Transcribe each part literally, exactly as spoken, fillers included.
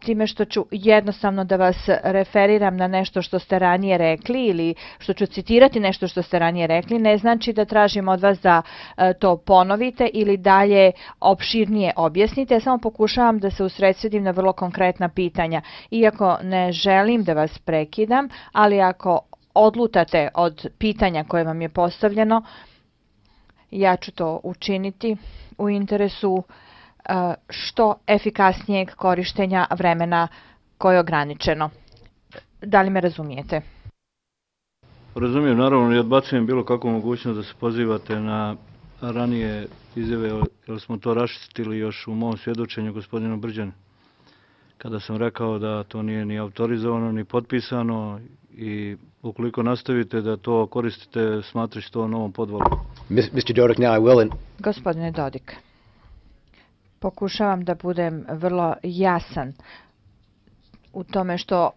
time što ću jednostavno da vas referiram na nešto što ste ranije rekli ili što ću citirati nešto što ste ranije rekli, ne znači da tražim od vas da to ponovite ili dalje opširnije objasnite. Ja samo pokušavam da se usredsredim na vrlo konkretna pitanja. Iako ne želim da vas prekidam, ali ako odlutate od pitanja koje vam je postavljeno, ja ću to učiniti u interesu što efikasnijeg korištenja vremena koje je ograničeno. Da li me razumijete? Razumijem, naravno, i odbacujem bilo kakvu mogućnost da se pozivate na ranije izjave, jer smo to raščistili još u mom svjedočenju gospodinu Brđanu, kada sam rekao da to nije ni autorizovano, ni potpisano i ukoliko nastavite da to koristite, smatrajući to novom podvalom. mister Dodik, now I will... Gospodine Dodik, pokušavam da budem vrlo jasan u tome što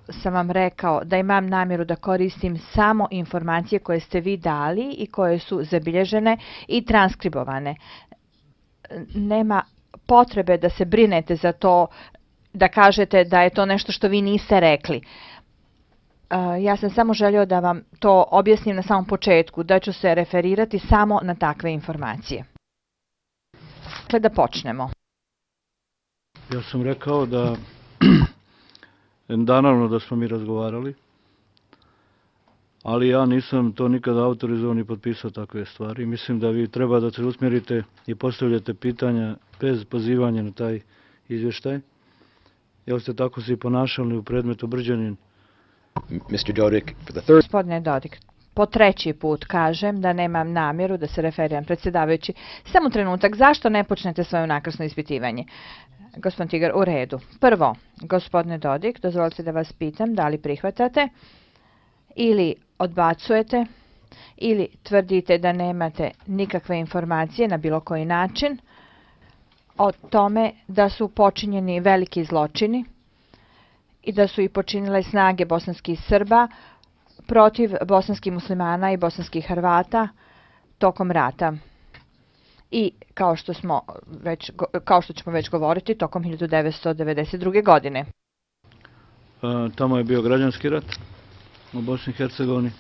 sam vam rekao da imam namjeru da koristim samo informacije koje ste vi dali i koje su zabilježene i transkribovane. Nema potrebe da se brinete za to, da kažete da je to nešto što vi niste rekli. Ja sam samo želio da vam to objasnim na samom početku, da ću se referirati samo na takve informacije. Dakle, da počnemo. Ja sam rekao da naravno da smo mi razgovarali, ali ja nisam to nikada autorizovao ni potpisao takve stvari. Mislim da vi treba da se usmjerite i postavljate pitanja bez pozivanja na taj izvještaj. Jel ste tako se i ponašali u predmetu Brđanin? mister Dodik, for the third... Gospodine Dodik, po treći put kažem da nemam namjeru da se referiram, predsjedavajući. Samo trenutak, zašto ne počnete svoje nakrasno ispitivanje? Gospodin Tigar, u redu. Prvo, gospodine Dodik, dozvolite da vas pitam da li prihvatate ili odbacujete ili tvrdite da nemate nikakve informacije na bilo koji način o tome da su počinjeni veliki zločini i da su ih počinile snage bosanskih Srba protiv bosanskih muslimana i bosanskih Hrvata tokom rata. I kao što smo već, kao što ćemo već govoriti, tokom hiljadu devetsto devedeset druge. godine. Tamo je bio građanski rat u Bosni i Hercegovini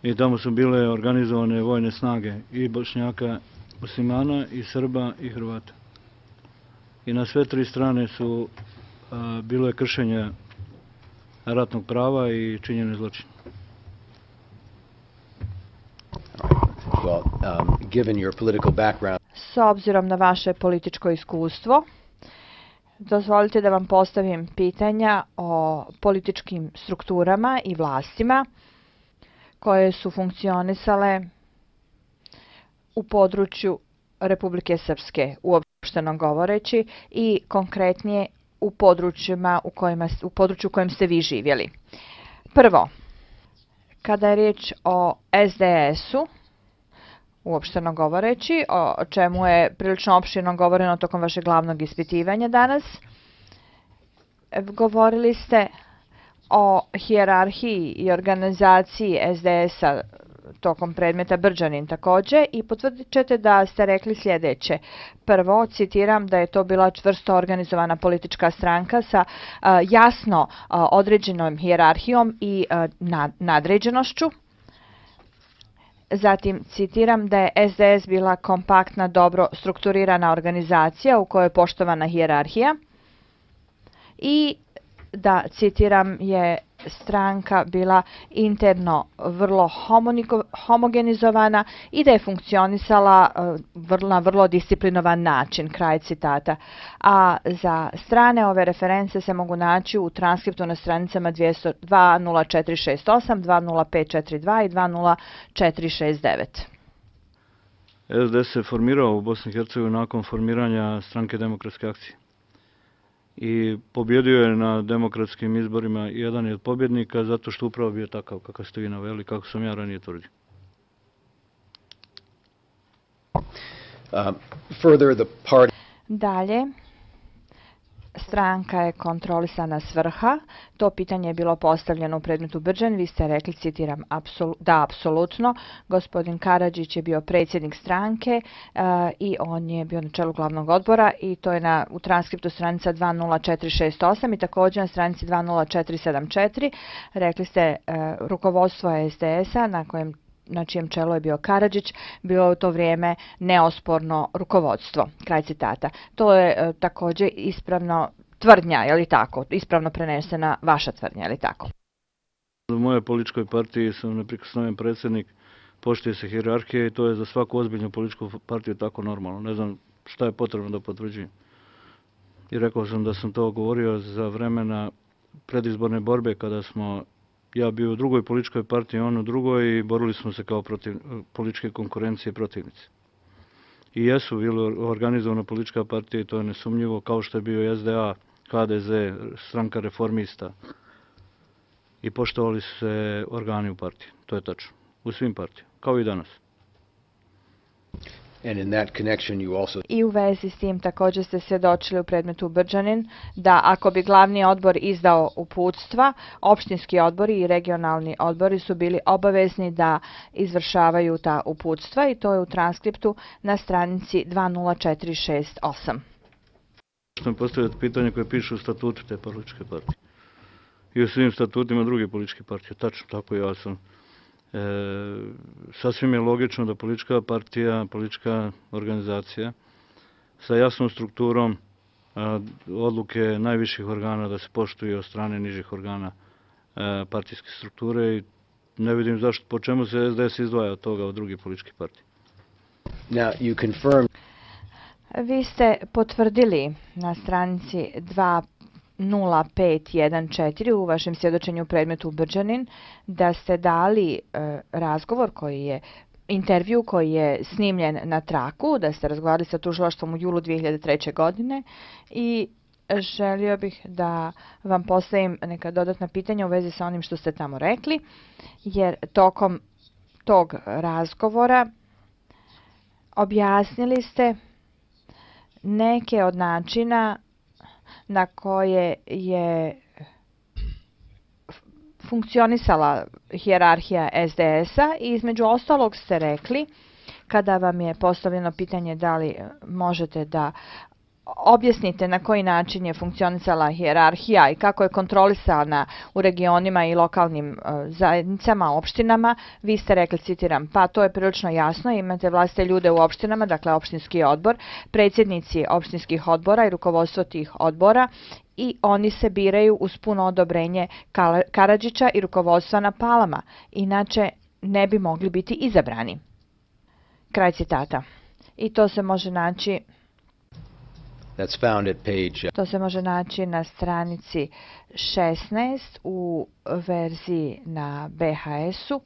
i tamo su bile organizovane vojne snage i Bošnjaka, muslimana i Srba i Hrvata. I na sve tri strane su bilo je kršenje ratnog prava i činjene zločine. Well, um, given your political background... S obzirom na vaše političko iskustvo, dozvolite da vam postavim pitanja o političkim strukturama i vlastima koje su funkcionisale u području Republike Srpske, uopšteno govoreći, i konkretnije u područjima u kojima, u području u kojem ste vi živjeli. Prvo, kada je riječ o es de es-u, uopšteno govoreći, o čemu je prilično opširno govoreno tokom vašeg glavnog ispitivanja danas, govorili ste o hijerarhiji i organizaciji es de es-a tokom predmeta Brđanin također i potvrdit ćete da ste rekli sljedeće. Prvo, citiram da je to bila čvrsto organizovana politička stranka sa uh, jasno uh, određenom hijerarhijom i uh, nad, nadređenošću. Zatim, citiram da je es de es bila kompaktna, dobro strukturirana organizacija u kojoj je poštovana hijerarhija i da, citiram, je stranka bila interno vrlo homogenizovana i da je funkcionisala na vrlo disciplinovan način, kraj citata. A za strane ove reference se mogu naći u transkriptu na stranicama dva nula četiri šest osam, dva nula pet četiri dva i dva nula četiri šest devet. es de es se formirao u Bosni i Hercegovini nakon formiranja Stranke demokratske akcije i pobjedio je na demokratskim izborima. Jedan je od pobjednika zato što upravo bio takav kakav ste vi naveli, kako sam ja ranije tvrdio. Um, further, the party... Dalje, stranka je kontrolisana s vrha. To pitanje je bilo postavljeno u predmetu Brđan. Vi ste rekli, citiram, da, apsolutno. Gospodin Karadžić je bio predsjednik stranke i on je bio na čelu glavnog odbora i to je na, u transkriptu stranica dva nula četiri šest osam i također na stranici dva nula četiri sedam četiri. Rekli ste rukovodstvo S D S-a na kojem na čijem čelu je bio Karadžić, bilo je u to vrijeme neosporno rukovodstvo. Kraj citata. To je e, također ispravno tvrdnja, je li tako? Ispravno prenesena vaša tvrdnja, je li tako? U mojoj političkoj partiji sam neprikosnoven predsjednik, poštuje se hijerarhija i to je za svaku ozbiljnu političku partiju tako normalno. Ne znam šta je potrebno da potvrđujem. I rekao sam da sam to govorio za vremena predizborne borbe kada smo ja bio u drugoj političkoj partiji, on u drugoj i borili smo se kao protiv političke konkurencije i protivnici. I jesu bili organizovana politička partija i to je nesumnjivo, kao što je bio S D A, H D Z, stranka reformista. I poštovali su se organi u partiji, to je tačno. U svim partijama, kao i danas. And in that connection you also... I u vezi s tim također ste svjedočili u predmetu Brđanin da ako bi glavni odbor izdao uputstva, opštinski odbori i regionalni odbori su bili obavezni da izvršavaju ta uputstva i to je u transkriptu na stranici dva nula četiri šest osam. Što postavljati pitanje koje piše u statutu te političke partije. I u svim statutima drugih političkih partija. Tačno, tako ja sam. E, sasvim je logično da politička partija, politička organizacija sa jasnom strukturom a, odluke najviših organa da se poštuju od strane nižih organa a, partijske strukture i ne vidim zašto, po čemu se S D S izdvaja od toga od drugih političkih partija. Now you confirm... Vi ste potvrdili na stranici dva nula pet jedan četiri u vašem svjedočenju u predmetu Brđanin da ste dali e, razgovor koji je intervju koji je snimljen na traku, da ste razgovarali sa tužilaštvom u julu dvije hiljade treće. godine i želio bih da vam postavim neka dodatna pitanja u vezi sa onim što ste tamo rekli, jer tokom tog razgovora objasnili ste neke od načina na koje je funkcionisala hijerarhija S D S-a i između ostalog ste rekli, kada vam je postavljeno pitanje da li možete da objasnite na koji način je funkcionisala hijerarhija i kako je kontrolisana u regionima i lokalnim zajednicama, opštinama, vi ste rekli, citiram, pa to je prilično jasno, imate vlastite ljude u opštinama, dakle opštinski odbor, predsjednici opštinskih odbora i rukovodstvo tih odbora i oni se biraju uz puno odobrenje Karadžića i rukovodstva na Palama, inače ne bi mogli biti izabrani. Kraj citata. I to se može naći That's found at page... To se može naći na stranici šesnaest u verziji na B H S-u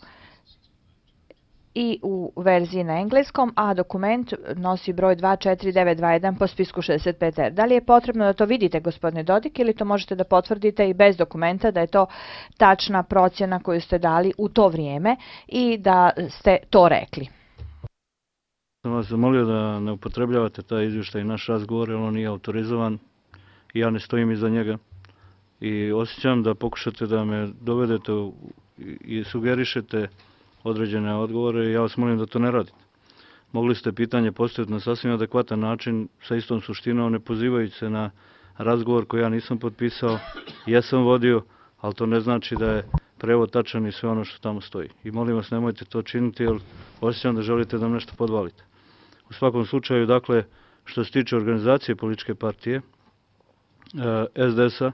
i u verziji na engleskom, a dokument nosi broj dva četiri devet dva jedan po spisku šezdeset pet R. Da li je potrebno da to vidite, gospodine Dodik, ili to možete da potvrdite i bez dokumenta da je to tačna procjena koju ste dali u to vrijeme i da ste to rekli? Sam vas zamolio da ne upotrebljavate taj izvještaj i naš razgovor, jer on nije autorizovan i ja ne stojim iza njega. I osjećam da pokušate da me dovedete i sugerišete određene odgovore i ja vas molim da to ne radite. Mogli ste pitanje postaviti na sasvim adekvatan način, sa istom suštinom, ne pozivajući se na razgovor koji ja nisam potpisao, jesam vodio, ali to ne znači da je prevod tačan i sve ono što tamo stoji. I molim vas, nemojte to činiti, jer osjećam da želite da nam nešto podvalite. U svakom slučaju, dakle, što se tiče organizacije političke partije, S D S-a,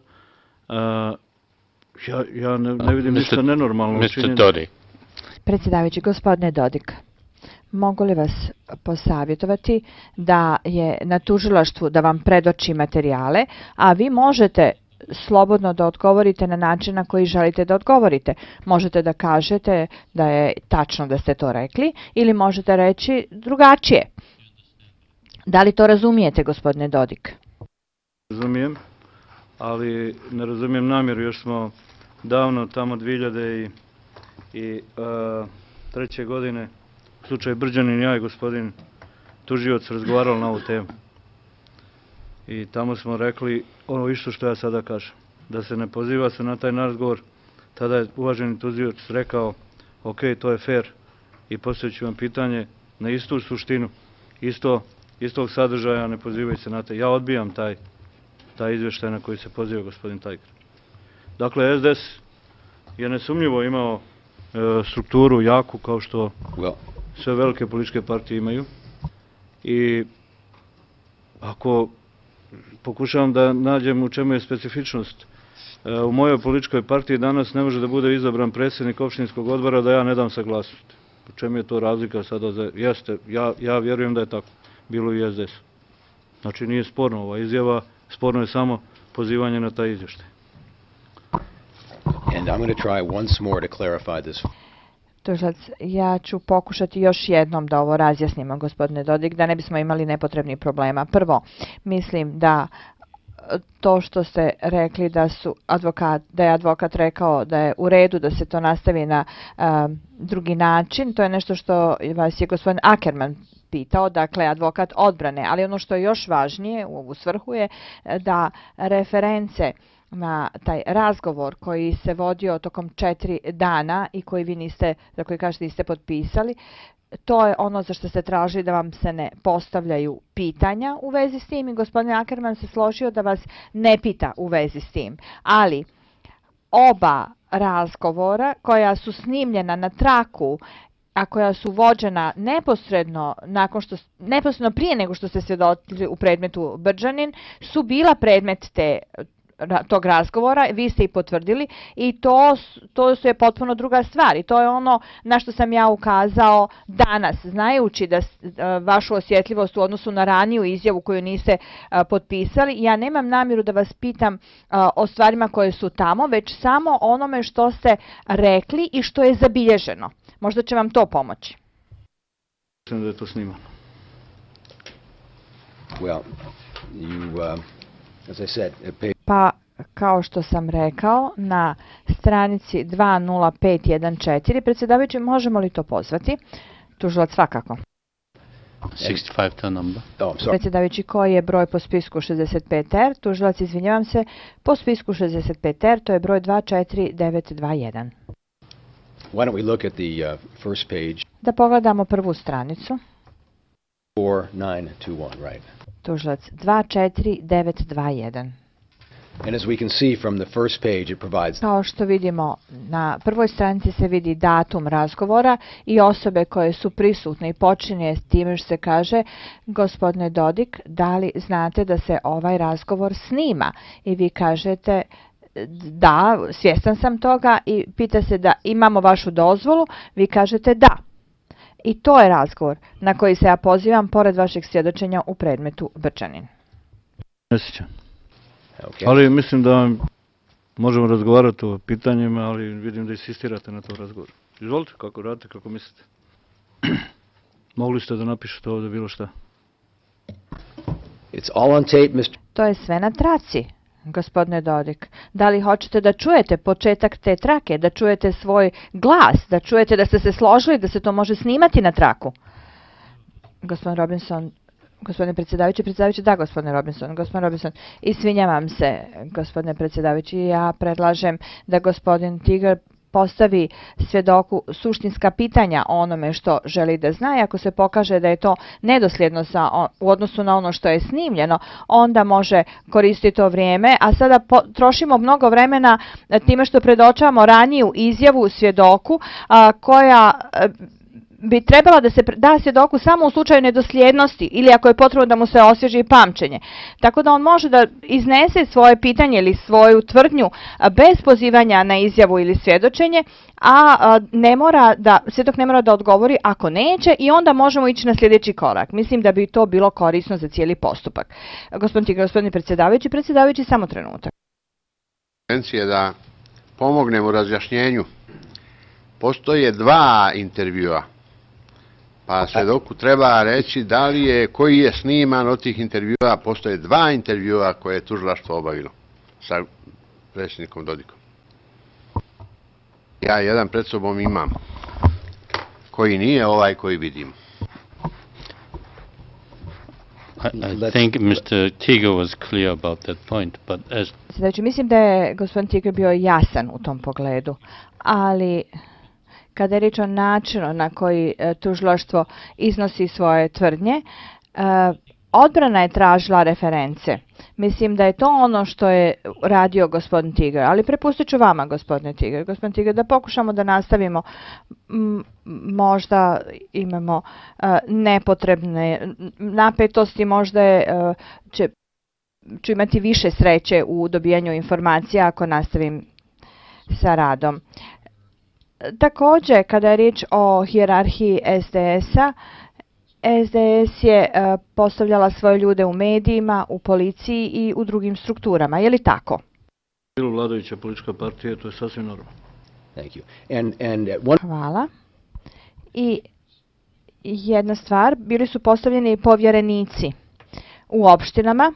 ja, ja ne, ne vidim ništa nenormalno. mister Dodik. Predsjedavajući, gospodine Dodik, mogu li vas posavjetovati da je na tužilaštvu da vam predoči materijale, a vi možete slobodno da odgovorite na način na koji želite da odgovorite. Možete da kažete da je tačno da ste to rekli ili možete reći drugačije. Da li to razumijete, gospodine Dodik? Razumijem, ali ne razumijem namjeru. Još smo davno, tamo dvije hiljade treće. godine, u slučaju Brđanin, ja i gospodin tužioc razgovarali na ovu temu. i tamo smo rekli ono isto što ja sada kažem, da se ne poziva se na taj razgovor. Tada je uvaženi tužilac rekao, ok, to je fair i postavit ću vam pitanje na istu suštinu, isto, istog sadržaja, ne pozivaju se na taj. Ja odbijam taj, taj izveštaj na koji se poziva gospodin Tiger. Dakle, S D S je nesumnjivo imao e, strukturu jaku kao što Well, sve velike političke partije imaju i ako pokušavam da nađem u čemu je specifičnost, e, u mojoj političkoj partiji danas ne može da bude izabran predsjednik opštinskog odbora da ja ne dam saglasnost. U čemu je to razlika sada? Za, jeste, ja, ja vjerujem da je tako bilo i S D S. Znači nije sporno ova izjava, sporno je samo pozivanje na taj izvještaj. and I'm going to try once more to clarify this. Tužilac, ja ću pokušati još jednom da ovo razjasnimo, gospodine Dodik, da ne bismo imali nepotrebnih problema. Prvo, mislim da to što ste rekli da su advokat, da je advokat rekao da je u redu da se to nastavi na um, drugi način, to je nešto što vas je gospodin Ackerman pitao, dakle advokat odbrane, ali ono što je još važnije u ovu svrhu je da reference na taj razgovor koji se vodio tokom četiri dana i koji vi niste, za koji kažete niste potpisali, to je ono za što ste tražili da vam se ne postavljaju pitanja u vezi s tim i gospodin Ackerman se složio da vas ne pita u vezi s tim. Ali oba razgovora koja su snimljena na traku, a koja su vođena neposredno nakon što neposredno prije nego što ste svjedočili u predmetu Brđanin, su bila predmet te tog razgovora, vi ste i potvrdili i to, to su je potpuno druga stvar i to je ono na što sam ja ukazao danas, znajući da vašu osjetljivost u odnosu na raniju izjavu koju niste a, potpisali. Ja nemam namjeru da vas pitam a, o stvarima koje su tamo, već samo onome što ste rekli i što je zabilježeno. Možda će vam to pomoći. Mislim da je to snimano. Well, you, uh, as I said, it paid. Pa, kao što sam rekao, na stranici dva nula pet jedan četiri, predsjedavajući, možemo li to pozvati? Tužilac svakako. sixty-five to number. Oh, I'm sorry. Predsjedavajući, koji je broj po spisku šezdeset pet R? Tužilac, izvinjavam se, po spisku šezdeset pet R, to je broj dva četiri devet dva jedan. Why don't we look at the uh, first page, Da pogledamo prvu stranicu. four nine two one, right? Tužilac, dva četiri devet dva jedan. And as we can see from the first page, it provides Kao što vidimo, na prvoj stranici se vidi datum razgovora i osobe koje su prisutne i počinje s time što se kaže, gospodine Dodik, da li znate da se ovaj razgovor snima? I vi kažete, da, svjestan sam toga i pita se da imamo vašu dozvolu, vi kažete da. I to je razgovor na koji se ja pozivam pored vašeg svjedočenja u predmetu Brđanin. Ne sjećam. okay. Ali mislim da možemo razgovarati o pitanjima, ali vidim da insistirate na to razgovor. Izvolite, kako radite, kako mislite. Mogli ste da napišete ovdje bilo šta. It's all on tape, mister To je sve na traci, gospodine Dodik. Da li hoćete da čujete početak te trake, da čujete svoj glas, da čujete da ste se složili, da se to može snimati na traku? Gospodin Robinson, gospodine predsjedavajući, predsjedavajući, da, gospodine Robinson, gospodin Robinson, izvinjavam se, gospodine predsjedavajući, ja predlažem da gospodin Tiger postavi svjedoku suštinska pitanja o onome što želi da zna i ako se pokaže da je to nedosljedno sa, u odnosu na ono što je snimljeno, onda može koristiti to vrijeme, a sada po, trošimo mnogo vremena time što predočavamo raniju izjavu svjedoku a, koja a, bi trebala da se da svjedoku samo u slučaju nedosljednosti ili ako je potrebno da mu se osvježi pamćenje. Tako da on može da iznese svoje pitanje ili svoju tvrdnju bez pozivanja na izjavu ili svjedočenje, a ne mora da, svjedok ne mora da odgovori ako neće i onda možemo ići na sljedeći korak. Mislim da bi to bilo korisno za cijeli postupak. Gospodin Tigar, gospodine predsjedavajući, predsjedavajući samo trenutak. Je da pomognem u razjašnjenju. Postoje dva intervjua. Pa svjedoku treba reći da li je, koji je sniman od tih intervjua. Postoje dva intervjua koje je tužilaštvo obavilo sa predsjednikom Dodikom. Ja jedan pred sobom imam, koji nije ovaj koji vidim. I, I Let's- think Mister Tiger was clear about that point, but as Znači, mislim da je gospodin Tiger bio jasan u tom pogledu, ali kada je riječ o načinu na koji e, tužilaštvo iznosi svoje tvrdnje, e, odbrana je tražila reference. Mislim da je to ono što je radio gospodin Tiger, ali prepustit ću vama, gospodine Tiger. Gospodin Tiger, da pokušamo da nastavimo, m, možda imamo e, nepotrebne napetosti, možda je, e, će, ću imati više sreće u dobijanju informacija ako nastavim sa radom. Također, kada je riječ o hijerarhiji S D S-a, S D S je e, postavljala svoje ljude u medijima, u policiji i u drugim strukturama. Je li tako? Bilo vladajuća politička partija, to je sasvim normalno. Thank you. And, and at one Hvala. I jedna stvar, bili su postavljeni povjerenici u opštinama.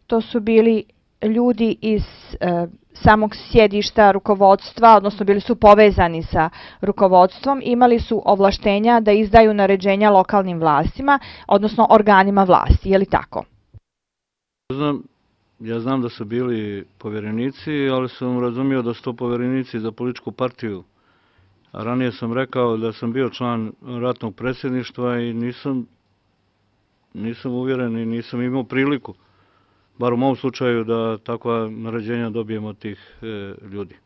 To su bili ljudi iz e, samog sjedišta rukovodstva, odnosno bili su povezani sa rukovodstvom, imali su ovlaštenja da izdaju naređenja lokalnim vlastima, odnosno organima vlasti. Je li tako? Znam, ja znam da su bili povjerenici, ali sam razumio da su to povjerenici za političku partiju. A ranije sam rekao da sam bio član ratnog predsjedništva i nisam, nisam uvjeren i nisam imao priliku, bar u mom slučaju, da takva naređenja dobijemo od tih e, ljudi.